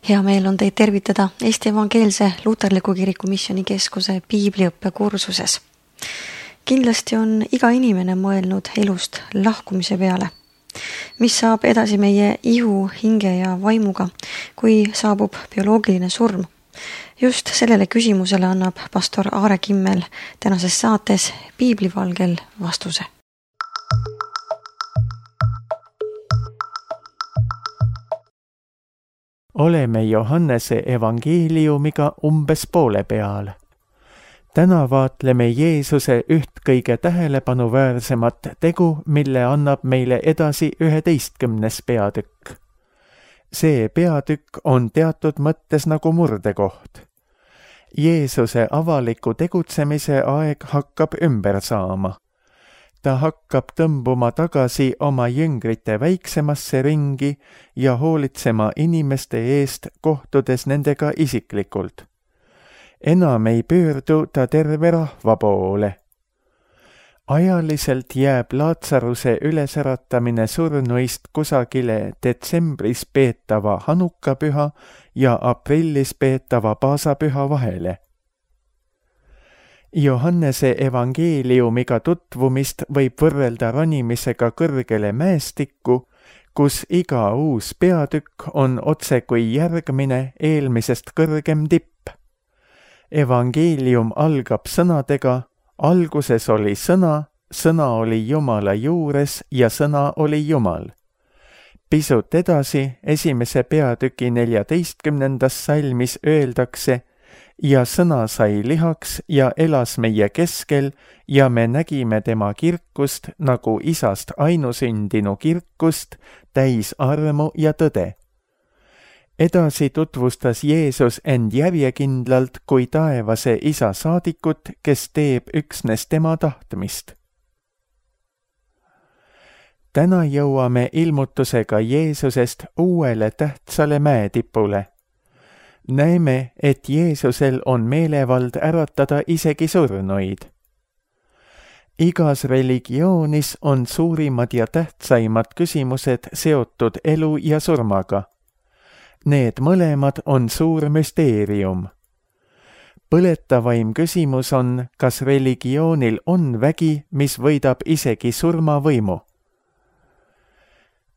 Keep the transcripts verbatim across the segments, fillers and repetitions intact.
Hea meel on teid tervitada Eesti Evangeelse Luterliku Kiriku Missioonikeskuse piibliõppekursuses. Kindlasti on iga inimene mõelnud elust lahkumise peale. Mis saab edasi meie ihu, hinge ja vaimuga, kui saabub bioloogiline surm? Just sellele küsimusele annab pastor Aare Kimmel tänases saates Piiblivalgel vastuse. Oleme Johannese evangeeliumiga umbes poole peal. Täna vaatleme Jeesuse üht kõige tähelepanuväärsemat tegu, mille annab meile edasi üheteistkümnes peatükk. See peatükk on teatud mõttes nagu murdekoht. Jeesuse avaliku tegutsemise aeg hakkab ümber saama. Ta hakkab tõmbuma tagasi oma jüngrite väiksemasse ringi ja hoolitsema inimeste eest, kohtudes nendega isiklikult. Enam ei pöördu ta terve rahva poole. Ajaliselt jääb Laatsaruse ülesäratamine surnuist kusagile detsembris peetava Hanukapüha ja aprillis peetava Paasapüha vahele. Johannese evangeeliumiga tutvumist võib võrrelda ronimisega kõrgele mäestikku, kus iga uus peatükk on otse kui järgmine eelmisest kõrgem tipp. Evangeelium algab sõnadega: alguses oli sõna, sõna oli Jumala juures ja sõna oli Jumal. Pisut edasi, esimese peatüki neljateistkümnendas salmis öeldakse: ja sõna sai lihaks ja elas meie keskel ja me nägime tema kirkust nagu isast ainusündinu kirkust, täis armu ja tõde. Edasi tutvustas Jeesus end järjekindlalt kui taevase isa saadikut, kes teeb üksnes tema tahtmist. Täna jõuame ilmutusega Jeesusest uuele tähtsale mäetipule. Näeme, et Jeesusel on meelevald äratada isegi surnuid. Igas religioonis on suurimad ja tähtsaimad küsimused seotud elu ja surmaga. Need mõlemad on suur müsteerium. Põletavaim küsimus on, kas religioonil on vägi, mis võidab isegi surmavõimu.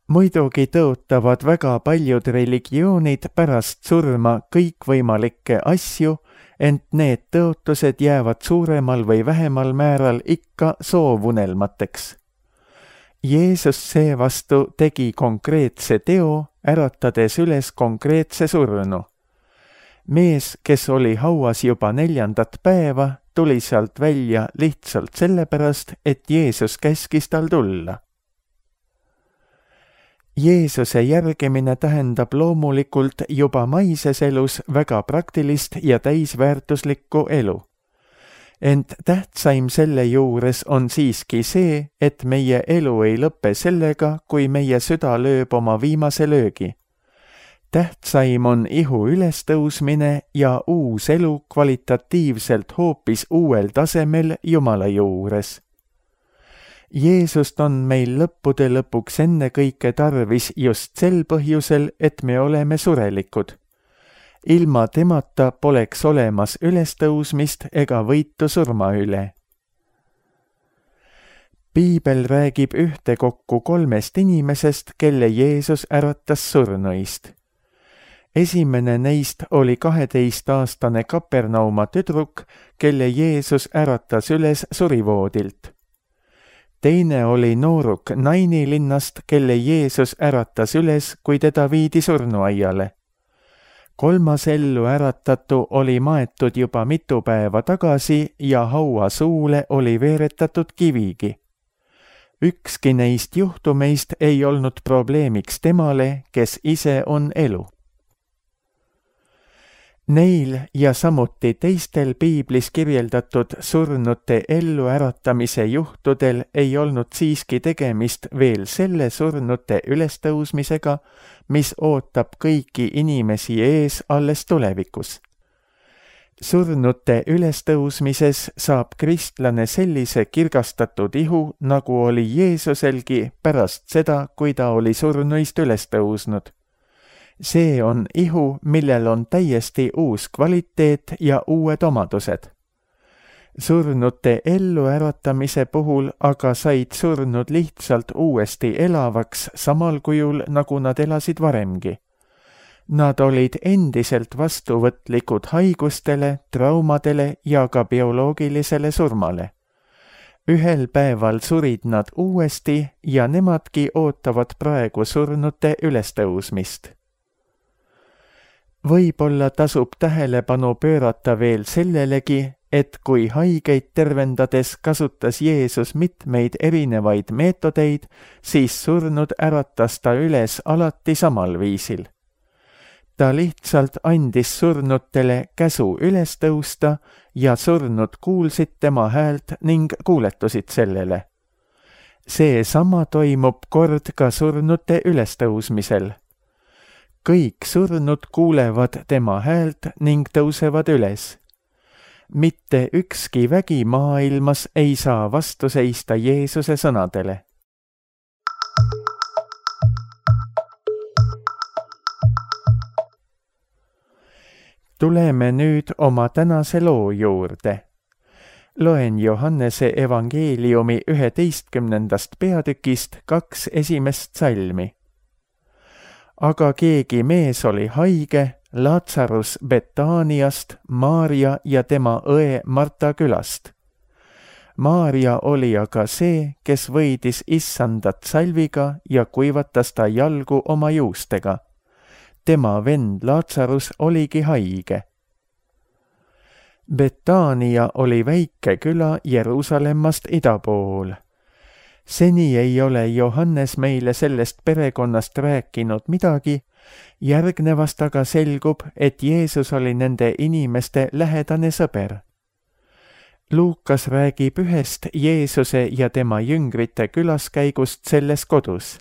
Muidugi tõotavad väga paljud religioonid pärast surma kõikvõimalikke asju, ent need tõotused jäävad suuremal või vähemal määral ikka soovunelmateks. Jeesus seevastu tegi konkreetse teo, äratades üles konkreetse surnu. Mees, kes oli hauas juba neljandat päeva, tuli sealt välja lihtsalt sellepärast, et Jeesus käskis tal tulla. Jeesuse järgimine tähendab loomulikult juba maises elus väga praktilist ja täisväärtuslikku elu. Ent tähtsaim selle juures on siiski see, et meie elu ei lõppe sellega, kui meie süda lööb oma viimase löögi. Tähtsaim on ihu ülestõusmine ja uus elu kvalitatiivselt hoopis uuel tasemel Jumala juures. Jeesust on meil lõppude lõpuks ennekõike tarvis just sel põhjusel, et me oleme surelikud. Ilma temata poleks olemas ülestõusmist ega võitu surma üle. Piibel räägib ühtekokku kolmest inimesest, kelle Jeesus äratas surnuist. Esimene neist oli kaheteistaastane Kapernauma tüdruk, kelle Jeesus äratas üles surivoodilt. Teine oli nooruk Naini linnast, kelle Jeesus äratas üles, kui teda viidi surnuaiale. Kolmas ellu äratatu oli maetud juba mitu päeva tagasi ja haua suule oli veeretatud kivigi. Ükski neist juhtumeist ei olnud probleemiks temale, kes ise on elu. Neil ja samuti teistel piiblis kirjeldatud surnute elluäratamise juhtudel ei olnud siiski tegemist veel selle surnute ülestõusmisega, mis ootab kõiki inimesi ees alles tulevikus. Surnute ülestõusmises saab kristlane sellise kirgastatud ihu, nagu oli Jeesuselgi pärast seda, kui ta oli surnuist üles tõusnud. see on ihu, millel on täiesti uus kvaliteet ja uued omadused. Surnute elluäratamise puhul aga said surnud lihtsalt uuesti elavaks samal kujul, nagu nad elasid varemgi. Nad olid endiselt vastuvõtlikud haigustele, traumadele ja ka bioloogilisele surmale. Ühel päeval surid nad uuesti ja nemadki ootavad praegu surnute ülestõusmist. Võib-olla tasub tähelepanu pöörata veel sellelegi, et kui haigeid tervendades kasutas Jeesus mitmeid erinevaid meetodeid, siis surnud äratas ta üles alati samal viisil. Ta lihtsalt andis surnutele käsu üles tõusta ja surnud kuulsid tema häält ning kuuletusid sellele. See sama toimub kord ka surnute ülestõusmisel. Kõik surnud kuulevad tema häält ning tõusevad üles. Mitte ükski vägi maailmas ei saa vastu seista Jeesuse sõnadele. Tuleme nüüd oma tänase loo juurde. Loen Johannese evangeeliumi üheteistkümnendast peatükist kaks esimest salmi. Aga keegi mees oli haige, Lazarus Betaaniast, Maarja ja tema õe Marta külast. Maarja oli aga see, kes võidis issandat salviga ja kuivatas ta jalgu oma juustega. Tema vend Lazarus oligi haige. Betaania oli väike küla Jeruusalemmast ida pool. Seni ei ole Johannes meile sellest perekonnast rääkinud midagi, järgnevast aga selgub, et Jeesus oli nende inimeste lähedane sõber. Luukas räägib ühest Jeesuse ja tema jüngrite külaskäigust selles kodus.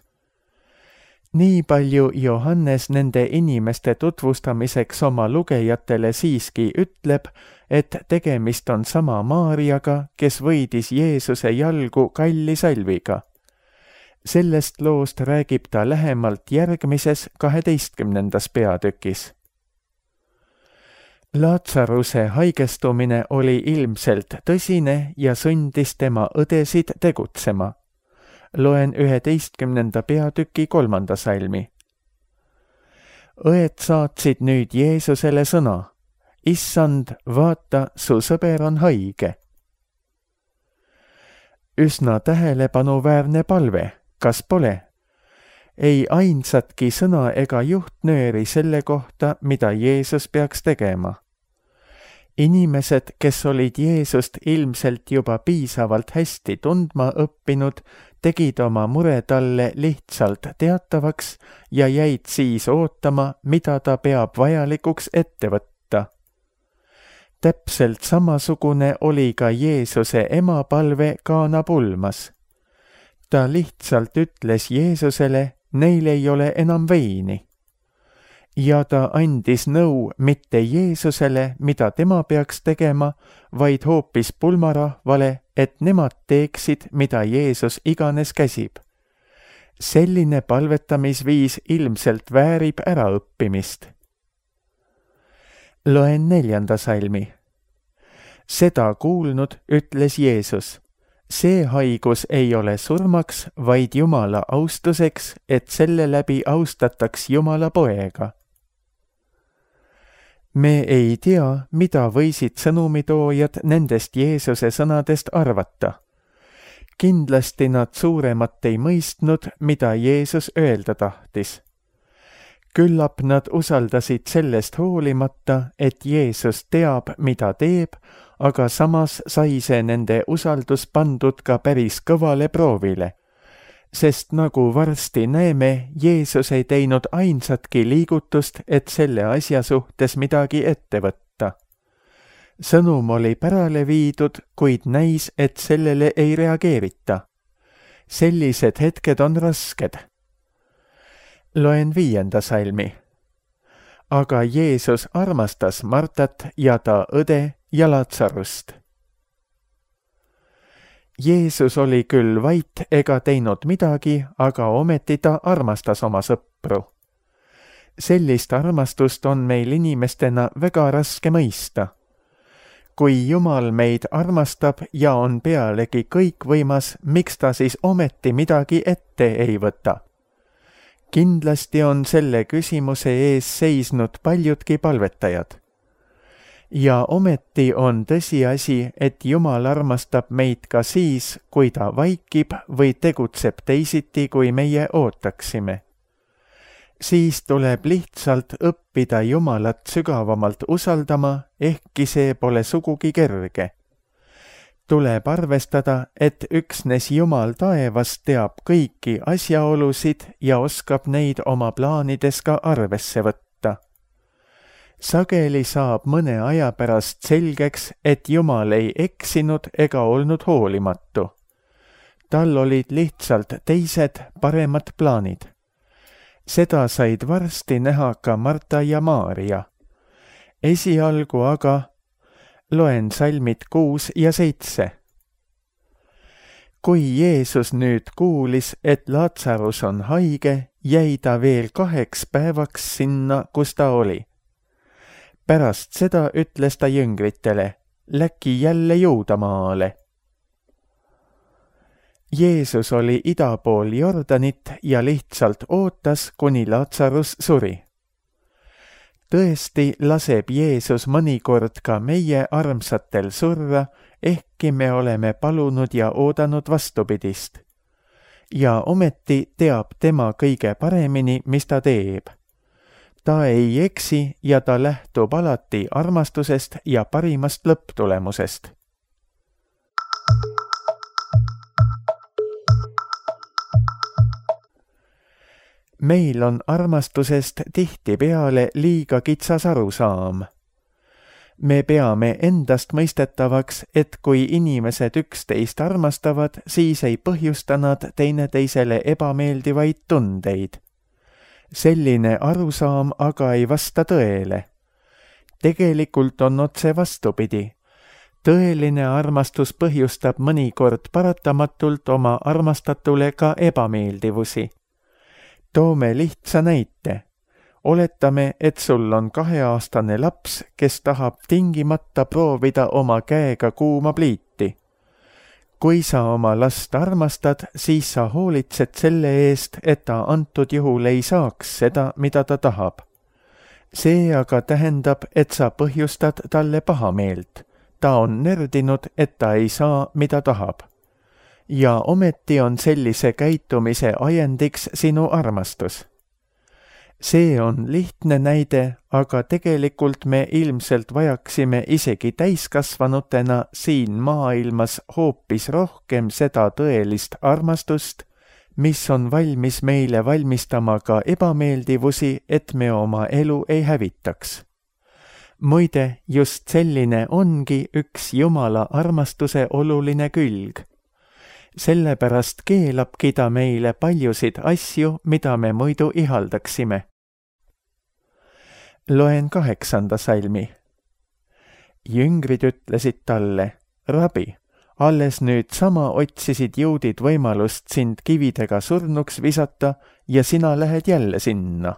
Nii palju Johannes nende inimeste tutvustamiseks oma lugejatele siiski ütleb, et tegemist on sama Maarjaga, kes võidis Jeesuse jalgu kalli salviga. Sellest loost räägib ta lähemalt järgmises kaheteistkümnendas peatükis. Lazaruse haigestumine oli ilmselt tõsine ja sundis tema õdesid tegutsema. Loen üheteistkümnenda peatüki kolmanda salmi. Õed saatsid nüüd Jeesusele sõna. Issand, vaata, su sõber on haige. Üsna tähelepanuväärne palve, kas pole? Ei ainsatki sõna ega juhtnööri selle kohta, mida Jeesus peaks tegema. Inimesed, kes olid Jeesust ilmselt juba piisavalt hästi tundma õppinud, tegid oma mure talle lihtsalt teatavaks ja jäid siis ootama, mida ta peab vajalikuks ette võtta. Täpselt samasugune oli ka Jeesuse ema palve Kaana pulmas. Ta lihtsalt ütles Jeesusele, neil ei ole enam veini. Ja ta andis nõu mitte Jeesusele, mida tema peaks tegema, vaid hoopis pulmarahvale, et nemad teeksid, mida Jeesus iganes käsib. Selline palvetamisviis ilmselt väärib äraõppimist. Loen neljanda salmi. Seda kuulnud ütles Jeesus, see haigus ei ole surmaks, vaid Jumala austuseks, et selle läbi austataks Jumala poega. Me ei tea, mida võisid sõnumitoojad nendest Jeesuse sõnadest arvata. Kindlasti nad suuremat ei mõistnud, mida Jeesus öelda tahtis. Küllap nad usaldasid sellest hoolimata, et Jeesus teab, mida teeb, aga samas sai see nende usaldus pandud ka päris kõvale proovile. Sest nagu varsti näeme, Jeesus ei teinud ainsatki liigutust, et selle asja suhtes midagi ette võtta. Sõnum oli pärale viidud, kuid näis, et sellele ei reageerita. Sellised hetked on rasked. Loen viienda salmi. Aga Jeesus armastas Martat ja ta õde ja Lazarust. Jeesus oli küll vait ega teinud midagi, aga ometi ta armastas oma sõpru. Sellist armastust on meil inimestena väga raske mõista. Kui Jumal meid armastab ja on pealegi kõikvõimas, miks ta siis ometi midagi ette ei võta? Kindlasti on selle küsimuse ees seisnud paljudki palvetajad. Ja ometi on tõsiasi, et Jumal armastab meid ka siis, kui ta vaikib või tegutseb teisiti, kui meie ootaksime. Siis tuleb lihtsalt õppida Jumalat sügavamalt usaldama, ehkki see pole sugugi kerge. Tuleb arvestada, et üksnes Jumal taevas teab kõiki asjaolusid ja oskab neid oma plaanides ka arvesse võtta. Sageli saab mõne aja pärast selgeks, et Jumal ei eksinud ega olnud hoolimatu. Tal olid lihtsalt teised, paremad plaanid. Seda said varsti näha ka Marta ja Maarja. Esialgu aga loen salmid kuus ja seitse. Kui Jeesus nüüd kuulis, et Laatsarus on haige, jäi ta veel kaheks päevaks sinna, kus ta oli. Pärast seda ütles ta jüngritele, läki jälle Juudamaale. Jeesus oli ida pool Jordanit ja lihtsalt ootas, kuni Laatsarus suri. Tõesti laseb Jeesus mõnikord ka meie armsatel surra, ehkki me oleme palunud ja oodanud vastupidist. Ja ometi teab tema kõige paremini, mis ta teeb. Ta ei eksi ja ta lähtub alati armastusest ja parimast lõpptulemusest. Meil on armastusest tihtipeale liiga kitsas arusaam. Me peame endast mõistetavaks, et kui inimesed üksteist armastavad, siis ei põhjusta nad teineteisele ebameeldivaid tundeid. Selline arusaam aga ei vasta tõele. Tegelikult on otse vastupidi. Tõeline armastus põhjustab mõnikord paratamatult oma armastatule ka ebameeldivusi. Toome lihtsa näite. Oletame, et sul on kaheaastane laps, kes tahab tingimata proovida oma käega kuuma pliiti. Kui sa oma last armastad, siis sa hoolitsed selle eest, et ta antud juhul ei saaks seda, mida ta tahab. See aga tähendab, et sa põhjustad talle pahameelt. Ta on nördinud, et ta ei saa, mida tahab. Ja ometi on sellise käitumise ajendiks sinu armastus. See on lihtne näide, aga tegelikult me ilmselt vajaksime isegi täiskasvanutena siin maailmas hoopis rohkem seda tõelist armastust, mis on valmis meile valmistama ka ebameeldivusi, et me oma elu ei hävitaks. Muide, just selline ongi üks Jumala armastuse oluline külg. Sellepärast keelabki ta meile paljusid asju, mida me muidu ihaldaksime. Loen kaheksanda salmi. Jüngrid ütlesid talle, Rabi, alles nüüd sama otsisid juudid võimalust sind kividega surnuks visata ja sina lähed jälle sinna.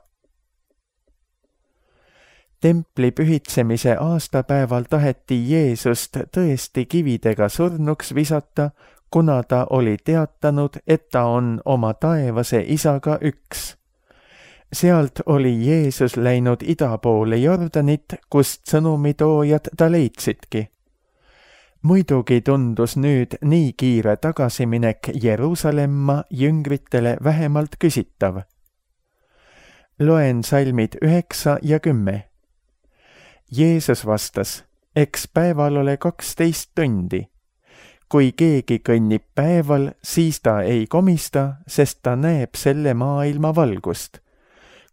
Templi pühitsemise aastapäeval taheti Jeesust tõesti kividega surnuks visata, kuna ta oli teatanud, et ta on oma taevase isaga üks. Sealt oli Jeesus läinud ida poole Jordanit, kust sõnumitoojad ta leidsidki. Muidugi tundus nüüd nii kiire tagasiminek Jeruusalemma jüngritele vähemalt küsitav. Loen salmid üheksa ja kümme. Jeesus vastas, eks päeval ole kaksteist tundi. Kui keegi kõnnib päeval, siis ta ei komista, sest ta näeb selle maailma valgust.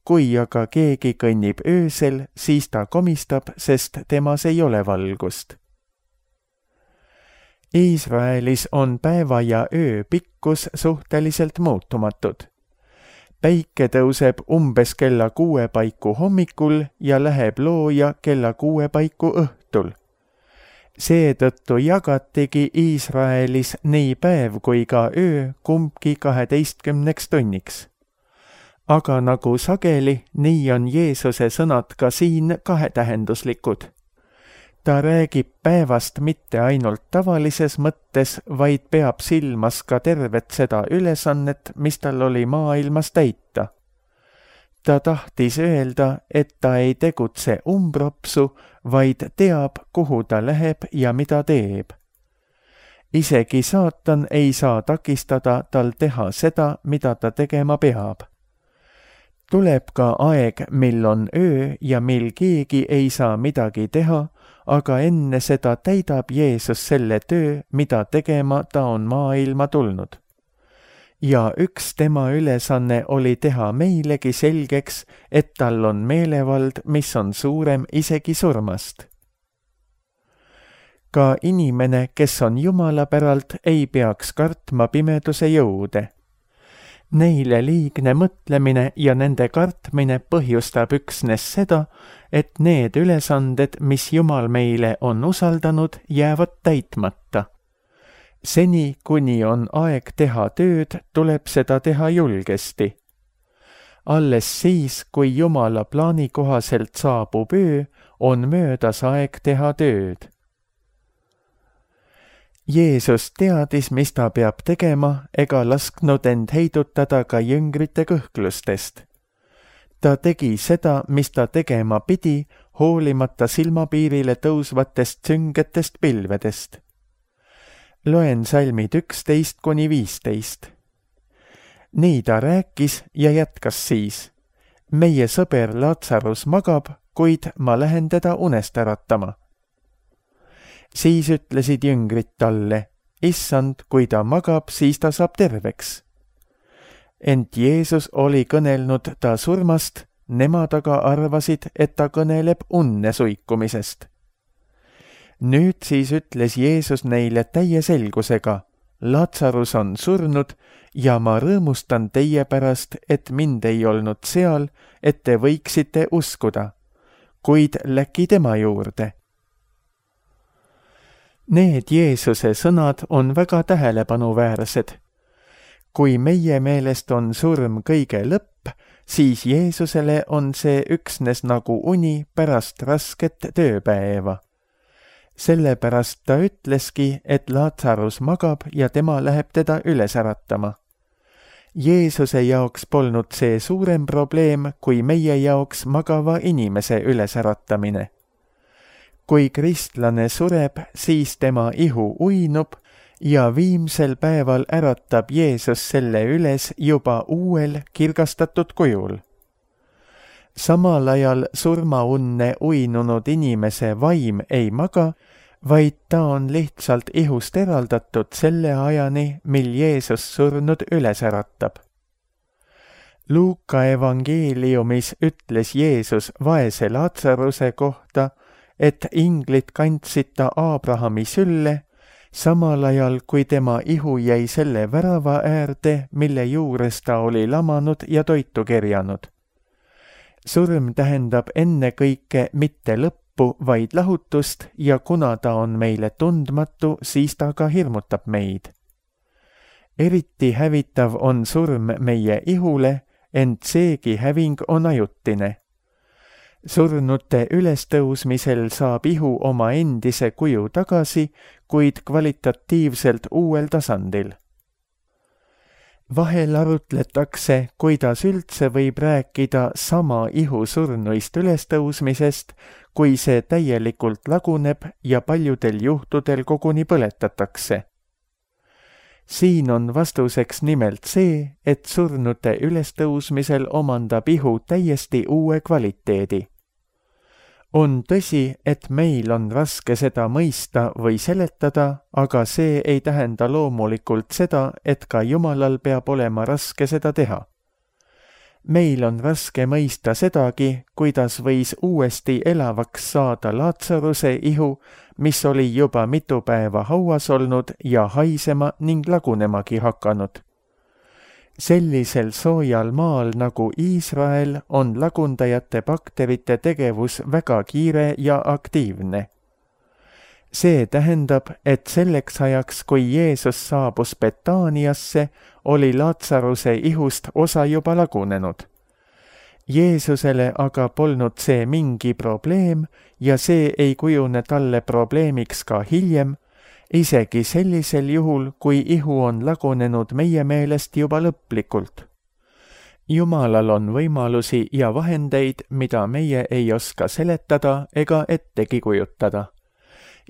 Kui aga keegi kõnnib öösel, siis ta komistab, sest temas ei ole valgust. Iisraelis on päeva ja öö pikkus suhteliselt muutumatud. Päike tõuseb umbes kella kuue paiku hommikul ja läheb looja kella kuue paiku õhtul. Seetõttu jagatigi Iisraelis nii päev kui ka öö kumbki kaheteistkümneks tunniks. aga nagu sageli, nii on Jeesuse sõnad ka siin kahetähenduslikud. Ta räägib päevast mitte ainult tavalises mõttes, vaid peab silmas ka tervet seda ülesannet, mis tal oli maailmas täita. Ta tahtis öelda, et ta ei tegutse umbropsu, vaid teab, kuhu ta läheb ja mida teeb. Isegi saatan ei saa takistada tal teha seda, mida ta tegema peab. Tuleb ka aeg, mil on öö ja mil keegi ei saa midagi teha, aga enne seda täidab Jeesus selle töö, mida tegema ta on maailma tulnud. Ja üks tema ülesanne oli teha meilegi selgeks, et tal on meelevald, mis on suurem isegi surmast. Ka inimene, kes on Jumala päralt, ei peaks kartma pimeduse jõude. Neile liigne mõtlemine ja nende kartmine põhjustab üksnes seda, et need ülesanded, mis Jumal meile on usaldanud, jäävad täitmata. Seni, kuni on aeg teha tööd, tuleb seda teha julgesti. Alles siis, kui Jumala plaani kohaselt saabub öö, on möödas aeg teha tööd. Jeesus teadis, mis ta peab tegema, ega lasknud end heidutada ka jüngrite kõhklustest. Ta tegi seda, mis ta tegema pidi, hoolimata silmapiirile tõusvatest süngetest pilvedest. Loen salmid üksteist kuni viisteist. Nii ta rääkis ja jätkas siis. Meie sõber Lazarus magab, kuid ma lähen teda unest äratama. Siis ütlesid jüngrid talle, issand, kui ta magab, siis ta saab terveks. Ent Jeesus oli kõnelnud ta surmast, nemad aga arvasid, et ta kõneleb unne suikumisest. Nüüd siis ütles Jeesus neile täie selgusega, Lazarus on surnud ja ma rõõmustan teie pärast, et mind ei olnud seal, et te võiksite uskuda, kuid läki tema juurde. Need Jeesuse sõnad on väga tähelepanuväärsed. Kui meie meelest on surm kõige lõpp, siis Jeesusele on see üksnes nagu uni pärast rasket tööpäeva. Sellepärast ta ütleski, et Lazarus magab ja tema läheb teda üles äratama. Jeesuse jaoks polnud see suurem probleem, kui meie jaoks magava inimese üles äratamine. Kui kristlane sureb, siis tema ihu uinub ja viimsel päeval äratab Jeesus selle üles juba uuel kirgastatud kujul. Samal ajal surmaunne uinunud inimese vaim ei maga, vaid ta on lihtsalt ihust eraldatud selle ajani, mil Jeesus surnud üles äratab. Luuka evangeeliumis ütles Jeesus vaese Lazaruse kohta, et inglid kandsid ta Abrahami sülle, samal ajal kui tema ihu jäi selle värava äärde, mille juures ta oli lamanud ja toitu kerjanud. Surm tähendab ennekõike mitte lõppu, vaid lahutust ja kuna ta on meile tundmatu, siis ta ka hirmutab meid. Eriti hävitav on surm meie ihule, ent seegi häving on ajutine. Surnute ülestõusmisel saab ihu oma endise kuju tagasi, kuid kvalitatiivselt uuel tasandil. Vahel arutletakse, kuidas üldse võib rääkida sama ihu surnuist ülestõusmisest, kui see täielikult laguneb ja paljudel juhtudel koguni põletatakse. Siin on vastuseks nimelt see, et surnute ülestõusmisel omandab ihu täiesti uue kvaliteedi. On tõsi, et meil on raske seda mõista või seletada, aga see ei tähenda loomulikult seda, et ka Jumalal peab olema raske seda teha. Meil on raske mõista sedagi, kuidas võis uuesti elavaks saada Lazaruse ihu, mis oli juba mitu päeva hauas olnud ja haisema ning lagunemagi hakanud. Sellisel soojal maal nagu Iisrael on lagundajate bakterite tegevus väga kiire ja aktiivne. See tähendab, et selleks ajaks, kui Jeesus saabus Betaaniasse, oli Lazaruse ihust osa juba lagunenud. Jeesusele aga polnud see mingi probleem ja see ei kujune talle probleemiks ka hiljem, isegi sellisel juhul, kui ihu on lagunenud meie meelest juba lõplikult. Jumalal on võimalusi ja vahendeid, mida meie ei oska seletada ega ettegi kujutada.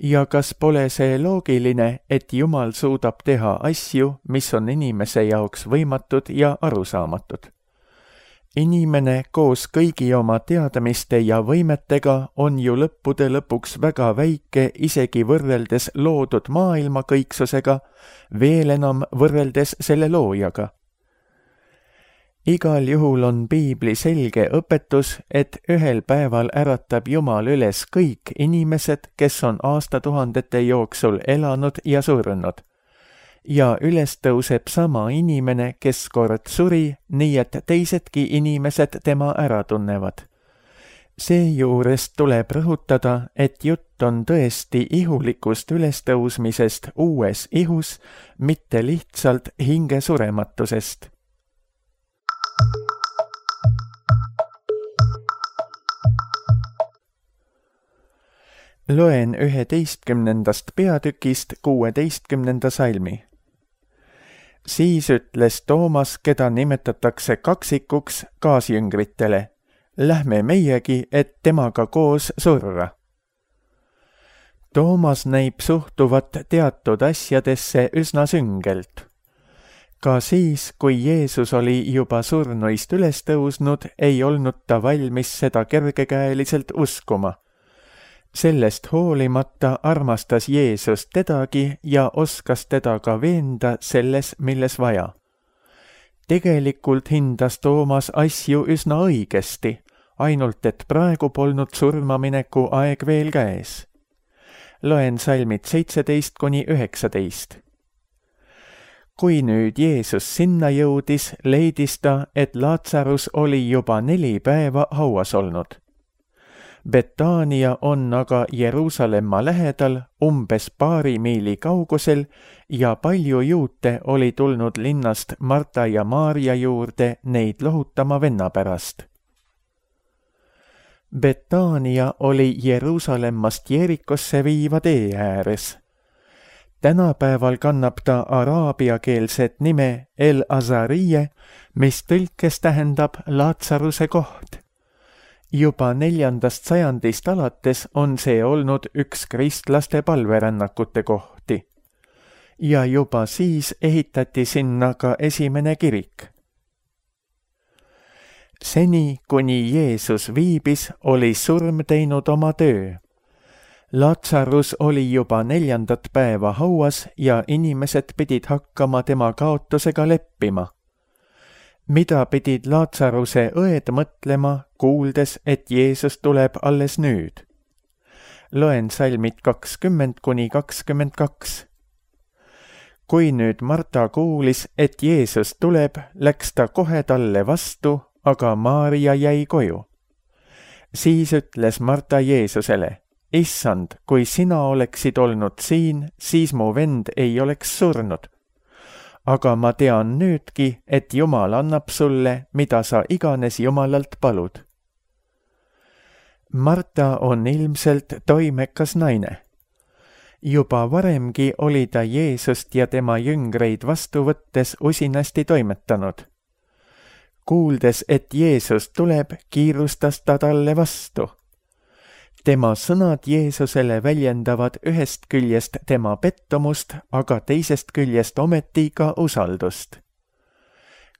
Ja kas pole see loogiline, et Jumal suudab teha asju, mis on inimese jaoks võimatud ja arusaamatud? Inimene koos kõigi oma teadmiste ja võimetega on ju lõppude lõpuks väga väike isegi võrreldes loodud maailma kõiksusega, veel enam võrreldes selle loojaga. Igal juhul on piibli selge õpetus, et ühel päeval äratab Jumal üles kõik inimesed, kes on aastatuhandete jooksul elanud ja surnud. Ja üles tõuseb sama inimene, kes kord suri, nii et teisedki inimesed tema ära tunnevad. Seejuures tuleb rõhutada, et jutt on tõesti ihulikust ülestõusmisest uues ihus, mitte lihtsalt hingesurematusest. Loen üheteistkümnendast peatükist kuueteistkümnenda salmi. Siis ütles Toomas, keda nimetatakse kaksikuks, kaasjüngritele, lähme meiegi, et temaga koos surra. Toomas näib suhtuvat teatud asjadesse üsna süngelt. Ka siis, kui Jeesus oli juba surnuist üles tõusnud, ei olnud ta valmis seda kergekäeliselt uskuma. Sellest hoolimata armastas Jeesus tedagi ja oskas teda ka veenda selles, milles vaja. Tegelikult hindas Toomas asju üsna õigesti, ainult et praegu polnud surmamineku aeg veel käes. Loen salmid seitseteist kuni üheksateist. Kui nüüd Jeesus sinna jõudis, leidis ta, et Laatsarus oli juba neli päeva hauas olnud. Betaania on aga Jeruusalemma lähedal umbes paari miili kaugusel ja palju juute oli tulnud linnast Marta ja Maarja juurde neid lohutama venna pärast. Betaania oli Jeruusalemmast Jerikosse viiva tee ääres. Tänapäeval kannab ta araabiakeelset nime El Azariye, mis tõlkes tähendab Laatsaruse koht. Juba neljandast sajandist alates on see olnud üks kristlaste palverännakute kohti. Ja juba siis ehitati sinna ka esimene kirik. Seni, kuni Jeesus viibis, oli surm teinud oma töö. Laatsarus oli juba neljandat päeva hauas ja inimesed pidid hakkama tema kaotusega leppima. Mida pidid Laatsaruse õed mõtlema, kuuldes, et Jeesus tuleb alles nüüd? Loen salmid kakskümmend kuni kakskümmend kaks. Kui nüüd Marta kuulis, et Jeesus tuleb, läks ta kohe talle vastu, aga Maarja jäi koju. Siis ütles Marta Jeesusele, Issand, kui sina oleksid olnud siin, siis mu vend ei oleks surnud. Aga ma tean nüüdki, et Jumal annab sulle, mida sa iganes Jumalalt palud. Marta on ilmselt toimekas naine. Juba varemgi oli ta Jeesust ja tema jüngreid vastu võttes usinasti toimetanud. Kuuldes, et Jeesus tuleb, kiirustas ta talle vastu. Tema sõnad Jeesusele väljendavad ühest küljest tema pettumust, aga teisest küljest ometi ka usaldust.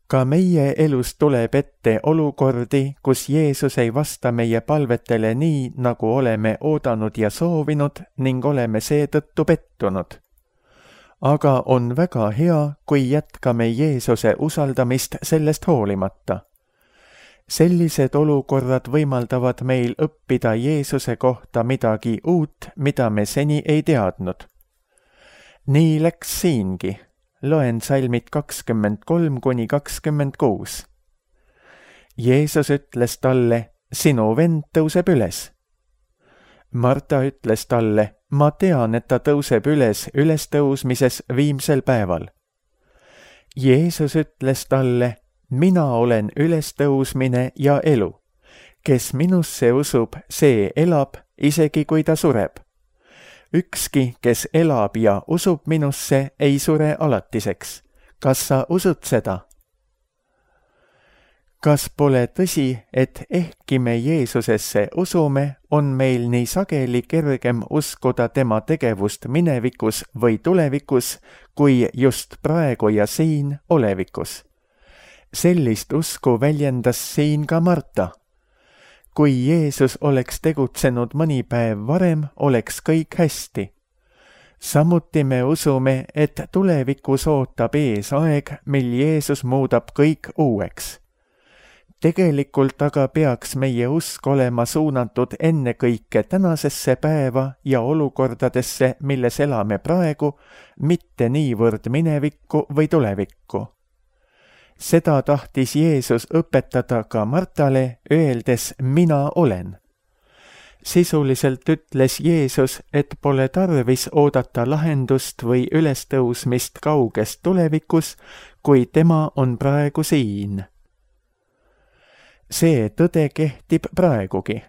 Ka meie elus tuleb ette olukordi, kus Jeesus ei vasta meie palvetele nii, nagu oleme oodanud ja soovinud ning oleme seetõttu pettunud. Aga on väga hea, kui jätkame Jeesuse usaldamist sellest hoolimata. Sellised olukorrad võimaldavad meil õppida Jeesuse kohta midagi uut, mida me seni ei teadnud. Nii läks siingi. Loen salmid kakskümmend kolm kuni kakskümmend kuus. Jeesus ütles talle, sinu vend tõuseb üles. Marta ütles talle, ma tean, et ta tõuseb üles ülestõusmises viimsel päeval. Jeesus ütles talle, mina olen ülestõusmine ja elu. Kes minusse usub, see elab, isegi kui ta sureb. Ükski, kes elab ja usub minusse, ei sure alatiseks. Kas sa usud seda? Kas pole tõsi, et ehkki me Jeesusesse usume, on meil nii sageli kergem uskuda tema tegevust minevikus või tulevikus, kui just praegu ja siin olevikus? Sellist usku väljendas siin ka Marta. Kui Jeesus oleks tegutsenud mõni päev varem, oleks kõik hästi. Samuti me usume, et tulevikus ootab ees aeg, mil Jeesus muudab kõik uueks. Tegelikult aga peaks meie usk olema suunatud ennekõike tänasesse päeva ja olukordadesse, milles elame praegu, mitte niivõrd minevikku või tulevikku. Seda tahtis Jeesus õpetada ka Martale, öeldes mina olen. Sisuliselt ütles Jeesus, et pole tarvis oodata lahendust või ülestõusmist kauges tulevikus, kui tema on praegu siin. See tõde kehtib praegugi.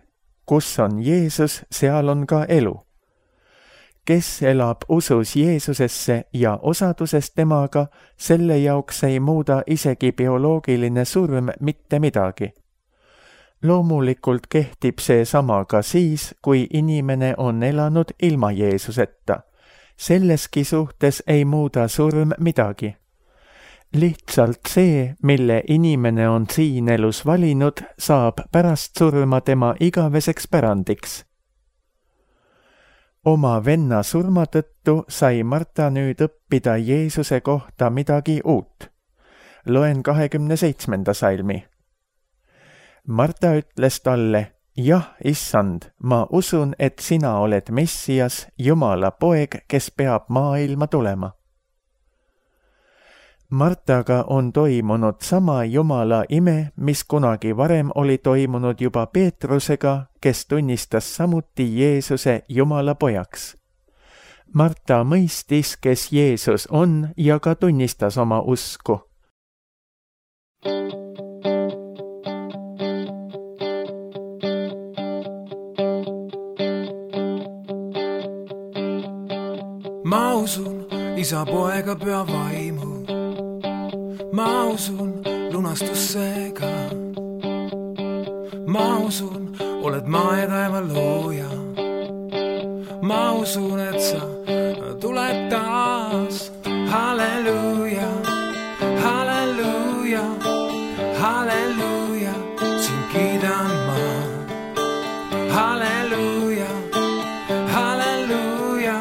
Kus on Jeesus, seal on ka elu. Kes elab usus Jeesusesse ja osaduses temaga, selle jaoks ei muuda isegi bioloogiline surm mitte midagi. Loomulikult kehtib see sama ka siis, kui inimene on elanud ilma Jeesuseta. Selleski suhtes ei muuda surm midagi. Lihtsalt see, mille inimene on siin elus valinud, saab pärast surma tema igaveseks pärandiks. Oma venna surma tõttu sai Marta nüüd õppida Jeesuse kohta midagi uut. Loen kahekümne seitsmenda salmi. Marta ütles talle, jah, issand, ma usun, et sina oled Messias, Jumala poeg, kes peab maailma tulema. Martaga on toimunud sama Jumala ime, mis kunagi varem oli toimunud juba Peetrusega, kes tunnistas samuti Jeesuse Jumala pojaks. Marta mõistis, kes Jeesus on ja ka tunnistas oma usku. Ma usun isa poega püha vaimu. Ma usun lunastusse ka. Ma usun, oled maa ja taeva looja. Ma usun, et sa tuled taas. Halleluuja, halleluuja, halleluuja, sind kiidan ma. Halleluuja, halleluuja,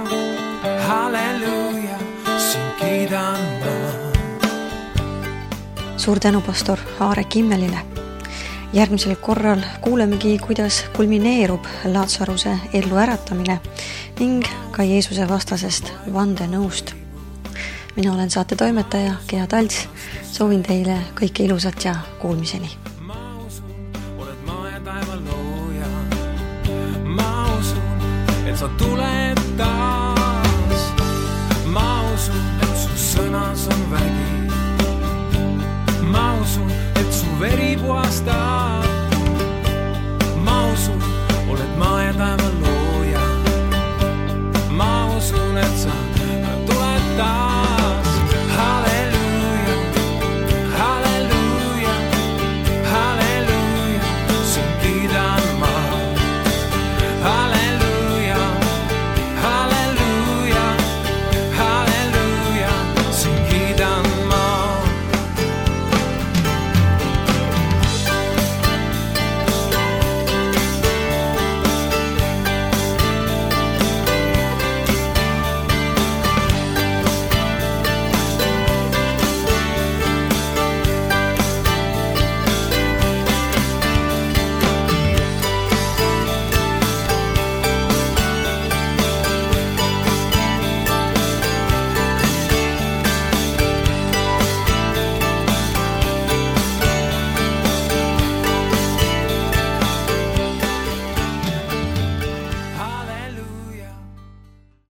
halleluuja, sind kiidan ma. Suur tänu pastor Aarek Immelile. Järgmisel korral kuulemegi, kuidas kulmineerub Laatsaruse ellu äratamine ning ka Jeesuse vastasest vandenõust. Mina olen saate toimetaja Gea Talts. Soovin teile kõike ilusat ja kuulmiseni. Ma usun, oled maa ja taeva looja. Ma usun, et sa tuled taas. Ma usun, et su sõnas on vägi. Ma usun, et su veri puhastab. Ma usun, oled maa ja taeva looja. Ma usun, et